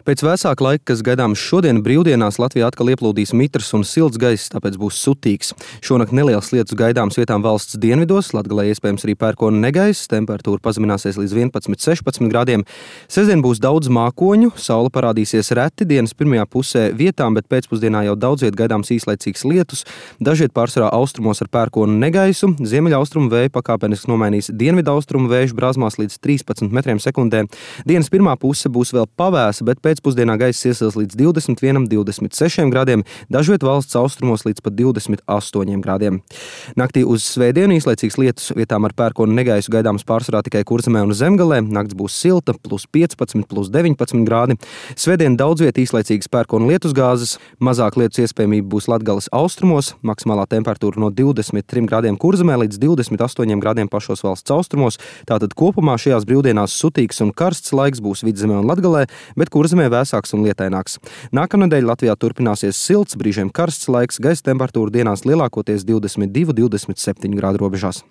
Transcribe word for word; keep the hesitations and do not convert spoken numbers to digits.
Pēc vēsāka laika, kas gaidāms šodien, brīvdienās Latvijā atkal ieplūdīs mitrs un silts gaiss, tāpēc būs sutīgs. Šonakt neliels lietus gaidāms vietām valsts dienvidos, Latgalē iespējams arī pērkona negaiss, temperatūra pazemināsies līdz vienpadsmit sešpadsmit grādiem. Sestdien būs daudz mākoņu, saule parādīsies reti dienas pirmajā pusē vietām, bet pēcpusdienā jau daudz viet gaidāms īslaicīgs lietus, dažviet pārsvarā austrumos ar pērkona negaisu, ziemeļaustrumu vēju pakāpeniski nomainīs dienvidaustrumu vēju brāzmās līdz trīspadsmit metriem sekundē. Dienas pirmā puse būs vēl pavēsa, bet pēcpusdienā gaiss iesils līdz divdesmit vienam, divdesmit sešiem grādiem, dažviet valsts austrumos līdz pat divdesmit astoņiem grādiem. Naktī uz svētdienu īslaicīgs lietus vietām ar pērkona negaisu gaidāms pārsvarā tikai Kurzemē un Zemgalē. Nakts būs silta, plus piecpadsmit, plus deviņpadsmit grādi. Svētdien daudz viet īslaicīgas pērkona lietusgāzes, mazāk lietus iespējamība būs Latgales austrumos, maksimālā temperatūra no divdesmit trim grādiem Kurzemē līdz divdesmit astoņiem grādiem pašos valsts austrumos. Tātad kopumā šajās brīvdienās sutīgs un karsts laiks būs Vidzemē un Latgalē, bet Kurzemē vēsāks un lietaināks. Nākamnedēļ Latvijā turpināsies silts, brīžiem karsts laiks, gaisa temperatūra dienās lielākoties divdesmit divi, divdesmit septiņi grādu robežās.